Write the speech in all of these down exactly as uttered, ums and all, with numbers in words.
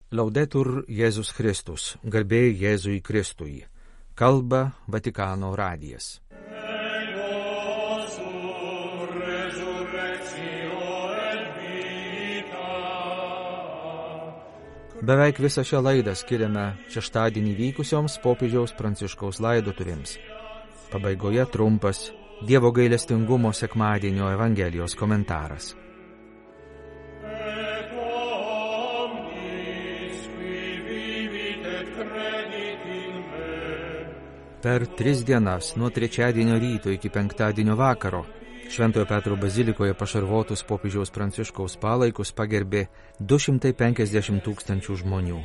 Laudetur Jėzus Kristus, garbė Jėzui Kristui. Kalba Vatikano radijas. Beveik visą šią laidą skiriame šeštadienį vykusioms popiežiaus Pranciškaus laidotuvėms. Pabaigoje trumpas Dievo gailestingumo sekmadienio Evangelijos komentaras. Per tris dienas, nuo trečiadienio ryto iki penktadienio vakaro, Šventojo Petro bazilikoje pašarvotus popiežiaus Pranciškaus palaikus pagerbė du šimtai penkiasdešimt tūkstančių žmonių.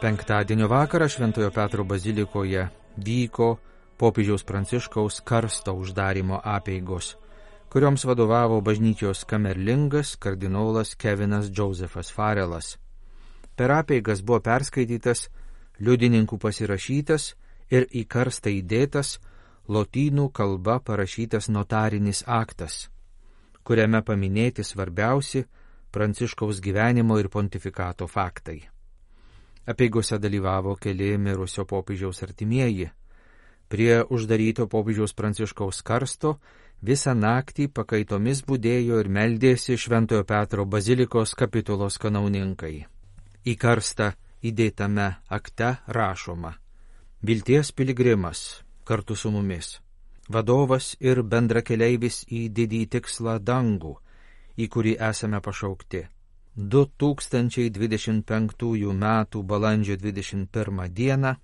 Penktadienio vakarą Šventojo Petro bazilikoje vyko popiežiaus Pranciškaus karsto uždarimo apeigos, kurioms vadovavo bažnyčios kamerlingas kardinolas Kevinas Džozefas Farelas. Per apeigas buvo perskaitytas, liudininkų pasirašytas ir į karstą įdėtas lotynų kalba parašytas notarinis aktas, kuriame paminėti svarbiausi Pranciškaus gyvenimo ir pontifikato faktai. Apeigose dalyvavo keli mirusio popiežiaus artimieji. Prie uždaryto popiežiaus Pranciškaus karsto visą naktį pakaitomis budėjo ir meldėsi Šventojo Petro bazilikos kapitulos kanauninkai. Į karstą įdėtame akte rašoma: Vilties piligrimas kartu su mumis, vadovas ir bendrakeleivis į didį tikslą dangų, į kurį esame pašaukti. du tūkstančiai dvidešimt penktųjų metų balandžio dvidešimt pirmą dieną,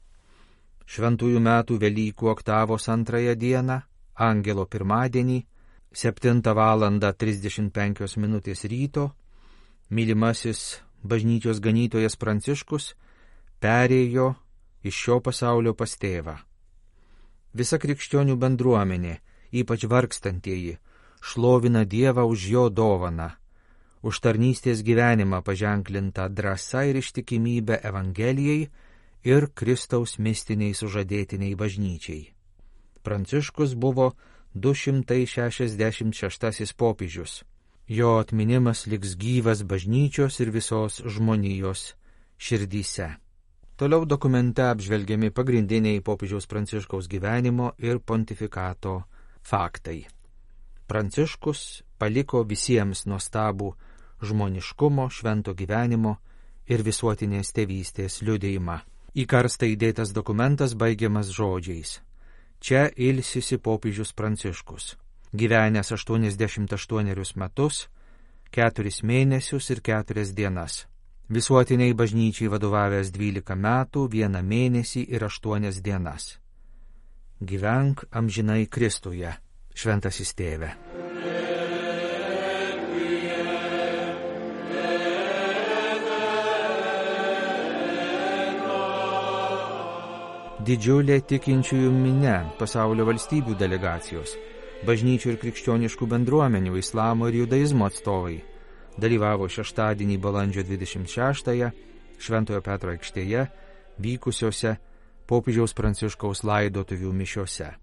šventųjų metų Velykų oktavos antrąją dieną, Angelo pirmadienį, septintą valandą trisdešimt penkios minutės ryto, mylimasis bažnyčios ganytojas Pranciškus perėjo iš šio pasaulio pas tėvą. Visa krikščionių bendruomenė, ypač vargstantieji, šlovina Dievą už jo dovaną, už tarnystės gyvenimą paženklintą drąsa ir ištikimybę Evangelijai ir Kristaus mistiniai sužadėtiniai bažnyčiai. Pranciškus buvo du šimtai šešiasdešimt šeštasis popiežius. Jo atminimas liks gyvas bažnyčios ir visos žmonijos širdyse. Toliau dokumente apžvelgiami pagrindiniai popiežiaus Pranciškaus gyvenimo ir pontifikato faktai. Pranciškus paliko visiems nuostabų žmoniškumo, švento gyvenimo ir visuotinės tėvystės liudijimą. Į karstą įdėtas dokumentas baigiamas žodžiais: Čia ilsisi popiežius Pranciškus, gyvenęs aštuoniasdešimt aštuonerius metus, keturis mėnesius ir keturias dienas. Visuotiniai bažnyčiai vadovavęs dvylika metų, vieną mėnesį ir aštuonias dienas. Gyvenk amžinai Kristuje, šventasis tėve. Didžiulė tikinčiųjų minia, pasaulio valstybių delegacijos, bažnyčių ir krikščioniškų bendruomenių, islamo ir judaizmo atstovai dalyvavo šeštadienį balandžio dvidešimt šeštąją Šventojo Petro aikštėje vykusiose popiežiaus Pranciškaus laidotuvių mišiose.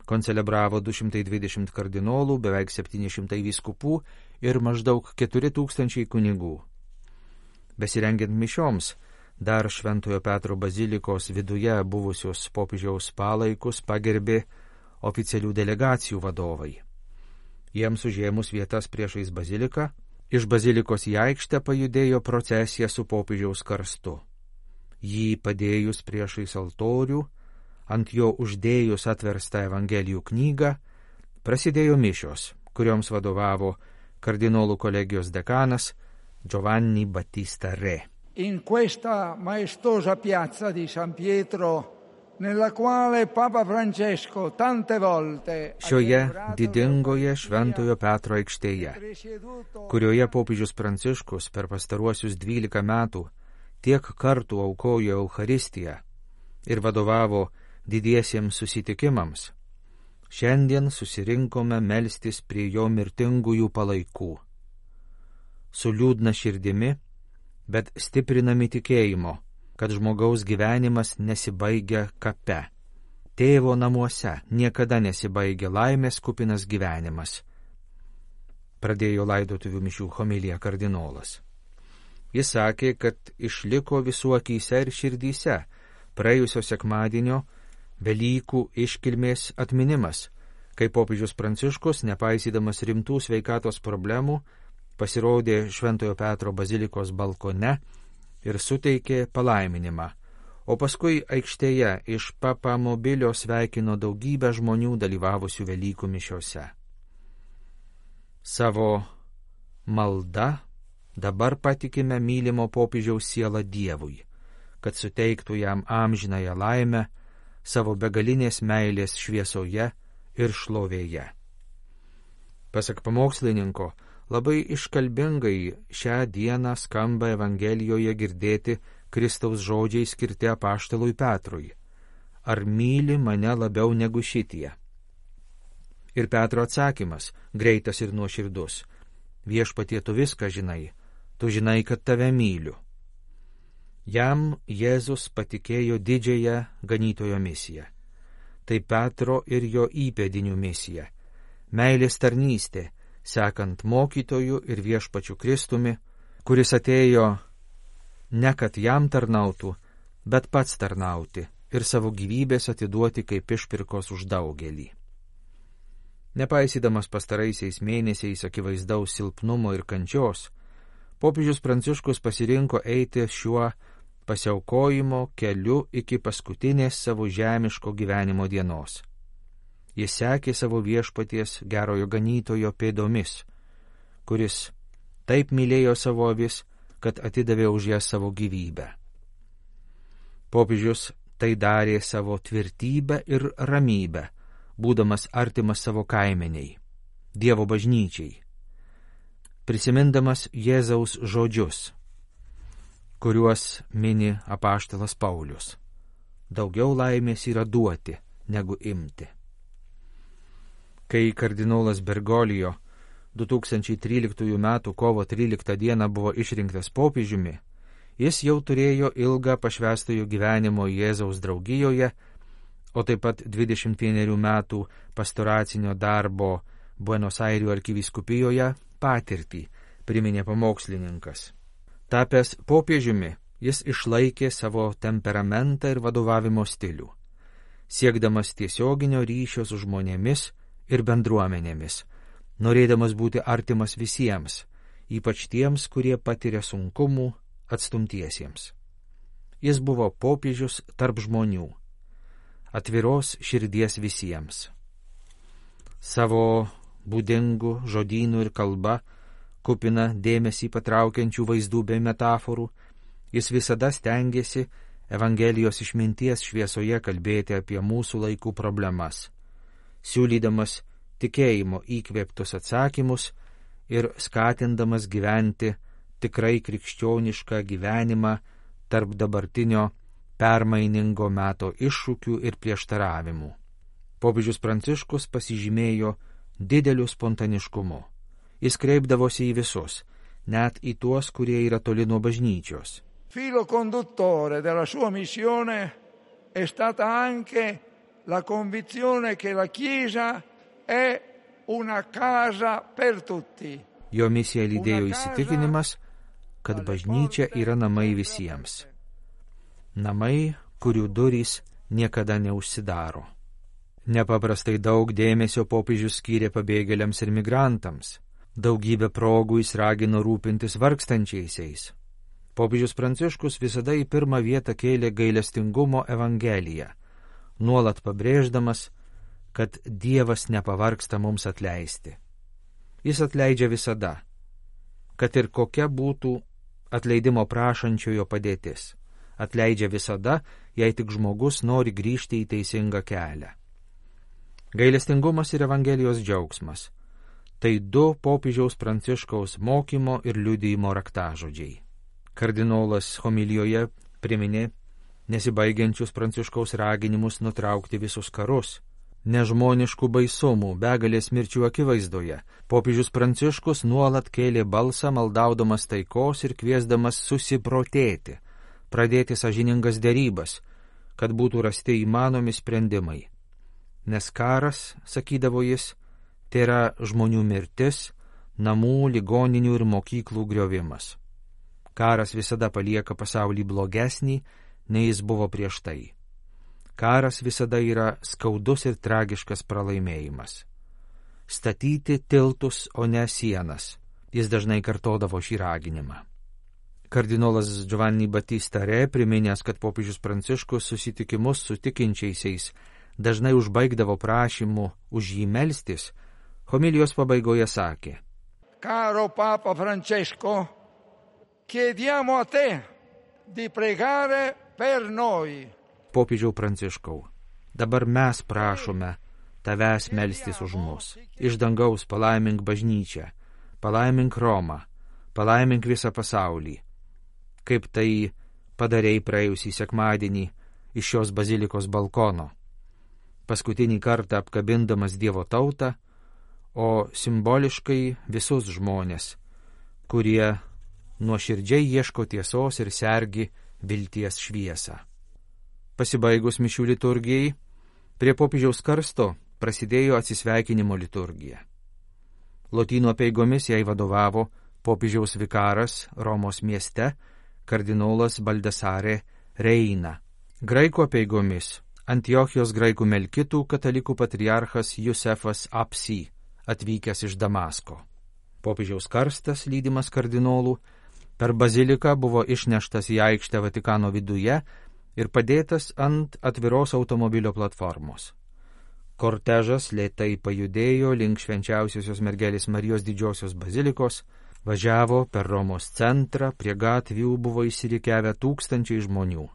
Koncelebravo du šimtai dvidešimt kardinolų, beveik septyni šimtai vyskupų ir maždaug keturi tūkstančiai kunigų. Besirengiant mišioms, dar Šventojo Petro bazilikos viduje buvusios popiežiaus palaikus pagerbė oficialių delegacijų vadovai. Jiems užėmus vietas priešais baziliką, iš bazilikos į aikštę pajudėjo procesija su popiežiaus karstu. Jį padėjus priešais altorių, ant jo uždėjus atverstą Evangelijų knygą, prasidėjo mišios, kurioms vadovavo kardinolų kolegijos dekanas Giovanni Battista Re. In questa maestosa piazza di San Pietro, nella quale Papa Francesco tante volte Šioje didingoje Šventojo Petro aikštėje, kurioje popiežius Pranciškus per pastaruosius dvylika metų tiek kartų aukojo Eucharistiją ir vadovavo didiesiems susitikimams, šiandien susirinkome melstis prie jo mirtingųjų palaikų. Su liūdna širdimi, bet stiprinami tikėjimo, kad žmogaus gyvenimas nesibaigia kape. Tėvo namuose niekada nesibaigia laimės kupinas gyvenimas. Pradėjo laidotuvių mišių homiliją kardinolas. Jis sakė, kad išliko visų akyse ir širdyse praėjusio sekmadienio Velykų iškilmės atminimas, kai popiežius Pranciškus, nepaisydamas rimtų sveikatos problemų, pasirodė Šventojo Petro bazilikos balkone ir suteikė palaiminimą, o paskui aikštėje iš papamobilio sveikino daugybę žmonių dalyvavusių Velykų mišiose. Savo malda dabar patikime mylimo popiežiaus sielą Dievui, kad suteiktų jam amžinąją laimę savo begalinės meilės šviesoje ir šlovėje. Pasak pamokslininko, labai iškalbingai šią dieną skamba Evangelijoje girdėti Kristaus žodžiai skirti apaštalui Petrui: ar myli mane labiau negu šitie? Ir Petro atsakymas, greitas ir nuoširdus: viešpatie, tu viską žinai, tu žinai, kad tave myliu. Jam Jėzus patikėjo didžiąją ganytojo misiją. Tai Petro ir jo įpėdinių misija, meilės tarnystė, sekant mokytoju ir viešpačiu Kristumi, kuris atėjo ne kad jam tarnautų, bet pats tarnauti ir savo gyvybės atiduoti kaip išpirkos už daugelį. Nepaisydamas pastaraisiais mėnesiais akivaizdaus silpnumo ir kančios, popiežius Pranciškus pasirinko eiti šiuo pasiaukojimo keliu iki paskutinės savo žemiško gyvenimo dienos. Jis sekė savo viešpaties gerojo ganytojo pėdomis, kuris taip mylėjo savo avis, kad atidavė už jas savo gyvybę. Popiežius tai darė savo tvirtybę ir ramybę, būdamas artimas savo kaimeniai, Dievo bažnyčiai, prisimindamas Jėzaus žodžius, kuriuos mini apaštalas Paulius: daugiau laimės yra duoti, negu imti. Kai kardinolas Bergoglio du tūkstančiai tryliktųjų metų kovo tryliktą dieną buvo išrinktas popiežiumi, jis jau turėjo ilgą pašvęstojo gyvenimo Jėzaus draugijoje, o taip pat dvidešimt vienerių metų pastoracinio darbo Buenos Airių arkivyskupijoje patirtį, priminė pamokslininkas. Tapęs popiežiumi, jis išlaikė savo temperamentą ir vadovavimo stilių, siekdamas tiesioginio ryšio su žmonėmis ir bendruomenėmis, norėdamas būti artimas visiems, ypač tiems, kurie patiria sunkumų, atstumtiesiems. Jis buvo popiežius tarp žmonių, atviros širdies visiems. Savo būdingų žodynų ir kalba, kupina dėmesį patraukiančių vaizdų bei metaforų, jis visada stengiasi Evangelijos išminties šviesoje kalbėti apie mūsų laikų problemas, siūlydamas tikėjimo įkvėptus atsakymus ir skatindamas gyventi tikrai krikščionišką gyvenimą tarp dabartinio permainingo meto iššūkių ir prieštaravimų. Popiežius Pranciškus pasižymėjo dideliu spontaniškumu. Jis kreipdavosi į visus, net į tuos, kurie yra toli nuo bažnyčios. Filo conduttore della sua missione è stata anche la convinzione che la Chiesa è una casa per tutti. Jo misiją lydėjo įsitikinimas, kad bažnyčia yra namai visiems. Namai, kurių durys niekada neužsidaro. Nepaprastai daug dėmesio popiežius skyrė pabėgėliams ir migrantams. Daugybę progų jis ragino rūpintis vargstančiaisiais. Popiežius Pranciškus visada į pirmą vietą kėlė gailestingumo evangeliją, nuolat pabrėždamas, kad Dievas nepavargsta mums atleisti. Jis atleidžia visada, kad ir kokia būtų atleidimo prašančiojo padėtis. Atleidžia visada, jei tik žmogus nori grįžti į teisingą kelią. Gailestingumas ir Evangelijos džiaugsmas – tai du popiežiaus Pranciškaus mokymo ir liudijimo raktažodžiai. Kardinolas homilijoje priminė nesibaigiančius Pranciškaus raginimus nutraukti visus karus. Nežmoniškų baisumų, begalės mirčių akivaizdoje, popiežius Pranciškus nuolat kėlė balsą, maldaudamas taikos ir kviesdamas susiprotėti, pradėti sąžiningas derybas, kad būtų rasti įmanomi sprendimai. Nes karas, sakydavo jis, tai yra žmonių mirtis, namų, ligoninių ir mokyklų griovimas. Karas visada palieka pasaulį blogesnį, nei jis buvo prieš tai. Karas visada yra skaudus ir tragiškas pralaimėjimas. Statyti tiltus, o ne sienas. Jis dažnai kartodavo šį raginimą. Kardinolas Giovanni Battista Re, priminęs, kad popiežius Pranciškus susitikimus su tikinčiaisiais dažnai užbaigdavo prašymu už jį melstis, homilijos pabaigoje sakė: Caro Papa Francesco, chiediamo a te di pregare per noi. Popiežiau Pranciškau, dabar mes prašome tavęs melstis už mus. Iš dangaus palaimink bažnyčią, palaimink Romą, palaimink visą pasaulį, kaip tai padarei praėjusį sekmadienį iš šios bazilikos balkono, paskutinį kartą apkabindamas Dievo tautą, o simboliškai visus žmonės, kurie nuoširdžiai ieško tiesos ir sergi vilties šviesą. Pasibaigus mišių liturgijai, prie popiežiaus karsto prasidėjo atsisveikinimo liturgija. Lotynų apeigomis jai vadovavo popiežiaus vikaras Romos mieste, kardinolas Baldasare Reina. Graikų apeigomis Antiochijos graikų melkitų katalikų patriarchas Jusefas Apsi, atvykęs iš Damasko. Popiežiaus karstas, lydimas kardinolų, per baziliką buvo išneštas į aikštę Vatikano viduje ir padėtas ant atviros automobilio platformos. Kortežas lėtai pajudėjo link švenčiausiosios mergelės Marijos didžiosios bazilikos, važiavo per Romos centrą, prie gatvių buvo įsirikiavę tūkstančiai žmonių.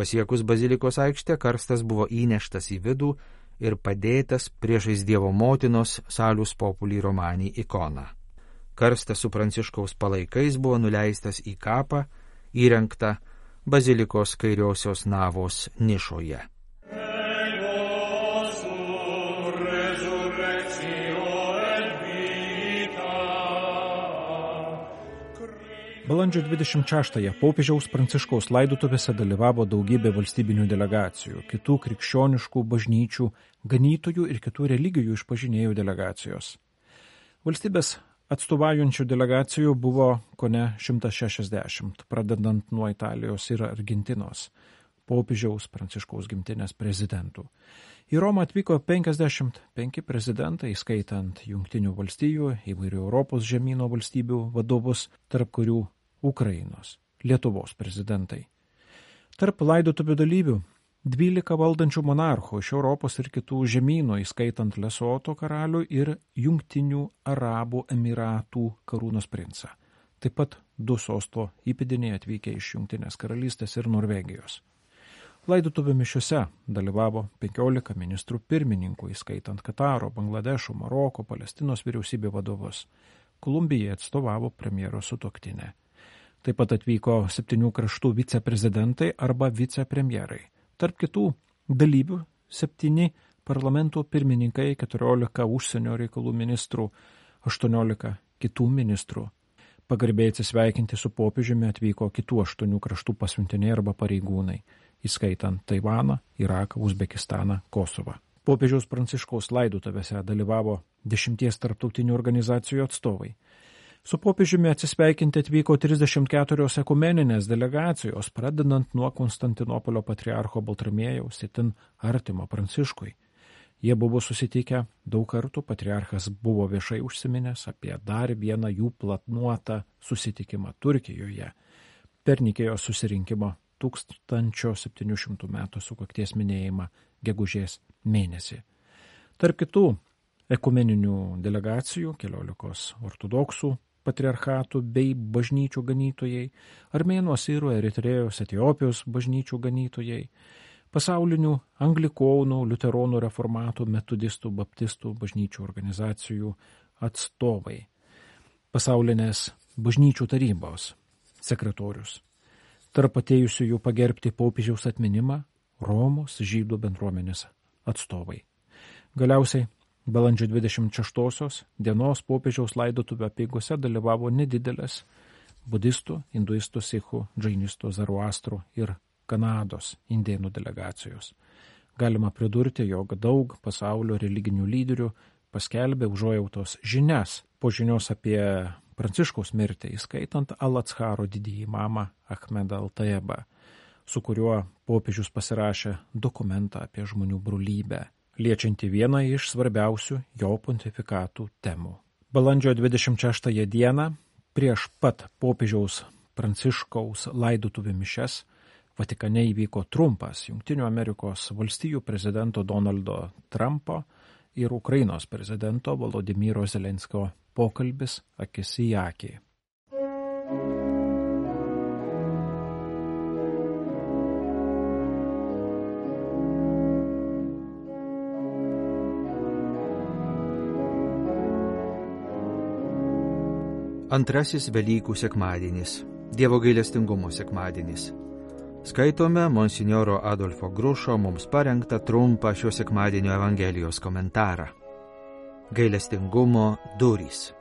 Pasiekus bazilikos aikštę, karstas buvo įneštas į vidų ir padėtas priešais Dievo motinos Salus Populi Romani ikoną. Karstas su Pranciškaus palaikais buvo nuleistas į kapą, įrengtą bazilikos kairiosios navos nišoje. Balandžio dvidešimt šeštąją popiežiaus Pranciškaus laidotuvėse dalyvavo daugybė valstybinių delegacijų, kitų krikščioniškų bažnyčių, ganytojų ir kitų religijų išpažinėjų delegacijos. Valstybės atstovaujančių delegacijų buvo kone šimtas šešiasdešimt, pradedant nuo Italijos ir Argentinos, popiežiaus Pranciškaus gimtinės prezidentų. Į Romą atvyko penkiasdešimt penki prezidentai, skaitant Jungtinių valstijų, įvairių Europos žemyno valstybių vadovus, tarp kurių Ukrainos, Lietuvos prezidentai. Tarp laidotuvių dalyvių dvylika valdančių monarchų iš Europos ir kitų žemynų, įskaitant Lesoto karalių ir Jungtinių Arabų Emiratų karūnos princą. Taip pat du sosto įpėdiniai atvykę iš Jungtinės karalystės ir Norvegijos. Laidotuvių mišiuose dalyvavo penkiolika ministrų pirmininkų, įskaitant Kataro, Bangladešo, Maroko, Palestinos vyriausybė vadovus. Kolumbijai atstovavo premjero sutuoktinė. Taip pat atvyko septynių kraštų viceprezidentai arba vicepremjerai. Tarp kitų dalyvių septyni parlamento pirmininkai, keturiolika užsienio reikalų ministrų, aštuoniolika kitų ministrų. Pagarbiai atsisveikinti su popiežiumi atvyko kitų aštuonių kraštų pasiuntiniai arba pareigūnai, įskaitant Taivaną, Iraką, Uzbekistaną, Kosovą. Popiežiaus Pranciškaus laidotuvėse dalyvavo dešimties tarptautinių organizacijų atstovai. Su popiežiumi atsisveikinti atvyko trisdešimt keturios ekumeninės delegacijos, pradedant nuo Konstantinopolio patriarcho Baltramiejaus, itin artimo Pranciškui. Jie buvo susitikę daug kartų, patriarchas buvo viešai užsiminęs apie dar vieną jų planuotą susitikimą Turkijoje per Nikėjos susirinkimo tūkstančio septynių šimtų metų sukakties minėjimą gegužės mėnesį. Tarp kitų ekumeninių delegacijų keliolikos ortodoksų patriarchatų bei bažnyčių ganytojai, armėnų, asirų, Eritrėjos, Etiopijos bažnyčių ganytojai, pasaulinių anglikonų, liuteronų, reformatų, metodistų, baptistų bažnyčių organizacijų atstovai, pasaulinės bažnyčių tarybos sekretorius. Tarp atėjusiųjų pagerbti popiežiaus atminimą Romos žydų bendruomenės atstovai. Galiausiai balandžio dvidešimt šeštosios dienos popiežiaus laidotuvių apeigose dalyvavo nedidelės budistų, hinduistų, sikhų, džainistų, zaruastrų ir Kanados indėnų delegacijos. Galima pridurti, jog daug pasaulio religinių lyderių paskelbė užuojautos žinias po žinios apie Pranciškaus mirtį, įskaitant Al-Atsharo didįjį imamą Ahmedą Al-Tayebą, su kuriuo popiežius pasirašė dokumentą apie žmonių brolybę, liečianti vieną iš svarbiausių jo pontifikatų temų. Balandžio dvidešimt šeštąją dieną, prieš pat popiežiaus Pranciškaus laidotuvių mišias, Vatikane įvyko trumpas Jungtinių Amerikos valstijų prezidento Donaldo Trumpo ir Ukrainos prezidento Volodymyro Zelenskio pokalbis akis į akį. Antrasis Velykų sekmadienis, Dievo gailestingumo sekmadienis. Skaitome monsinjoro Adolfo Grušo mums parengtą trumpą šio sekmadienio Evangelijos komentarą. Gailestingumo durys.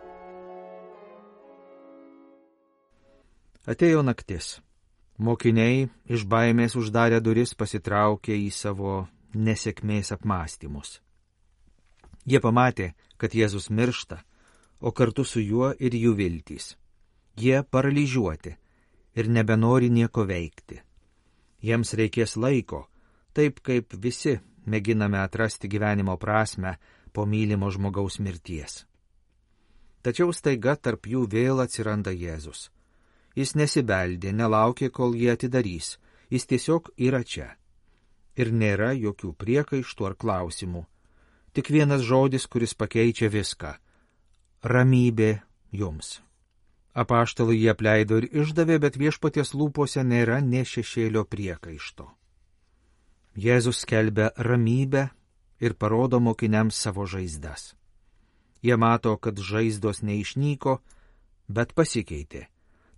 Atėjo naktis. Mokiniai iš baimės uždarę duris pasitraukė į savo nesėkmės apmąstymus. Jie pamatė, kad Jėzus miršta, o kartu su juo ir jų viltys. Jie paralyžiuoti ir nebenori nieko veikti. Jiems reikės laiko, taip kaip visi mėginame atrasti gyvenimo prasmę po mylimo žmogaus mirties. Tačiau staiga tarp jų vėl atsiranda Jėzus. Jis nesibeldė, nelaukė, kol jie atidarys, jis tiesiog yra čia. Ir nėra jokių priekaištų ar klausimų. Tik vienas žodis, kuris pakeičia viską. Ramybė jums. Apaštalai jį apleido ir išdavė, bet viešpaties lūpose nėra nė šešėlio priekaišto. Jėzus skelbia ramybę ir parodo mokiniams savo žaizdas. Jie mato, kad žaizdos neišnyko, bet pasikeitė.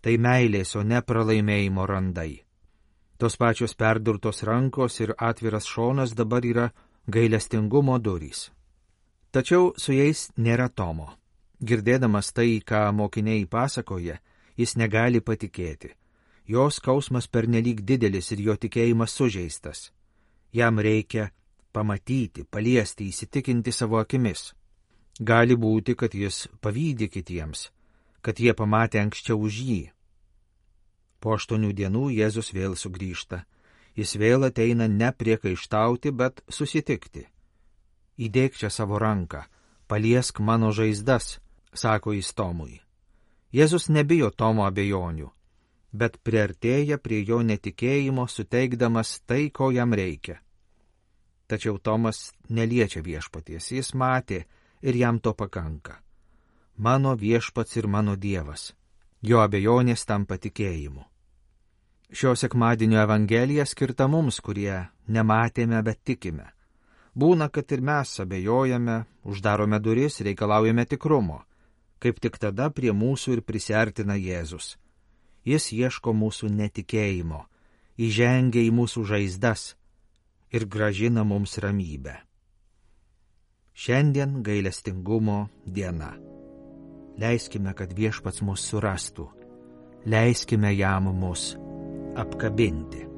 Tai meilės, o ne pralaimėjimo randai. Tos pačios perdurtos rankos ir atviras šonas dabar yra gailestingumo durys. Tačiau su jais nėra Tomo. Girdėdamas tai, ką mokiniai pasakoja, jis negali patikėti. Jo skausmas pernelyg didelis ir jo tikėjimas sužeistas. Jam reikia pamatyti, paliesti, įsitikinti savo akimis. Gali būti, kad jis pavydi kitiems, kad jie pamatė anksčiau už jį. Po aštuonių dienų Jėzus vėl sugrįžta. Jis vėl ateina ne priekaištauti, bet susitikti. Įdėk čia savo ranką, paliesk mano žaizdas, sako jis Tomui. Jėzus nebijo Tomo abejonių, bet priartėja prie jo netikėjimo, suteikdamas tai, ko jam reikia. Tačiau Tomas neliečia viešpaties, jis matė ir jam to pakanka. Mano viešpats ir mano Dievas. Jo abejonės tampa tikėjimu. Šio sekmadienio Evangelija skirta mums, kurie nematėme, bet tikime. Būna, kad ir mes abejojame, uždarome duris, reikalaujame tikrumo. Kaip tik tada prie mūsų ir prisiartina Jėzus. Jis ieško mūsų netikėjimo, įžengia į mūsų žaizdas ir grąžina mums ramybę. Šiandien gailestingumo diena. Leiskime, kad viešpats mus surastų. Leiskime jam mus apkabinti.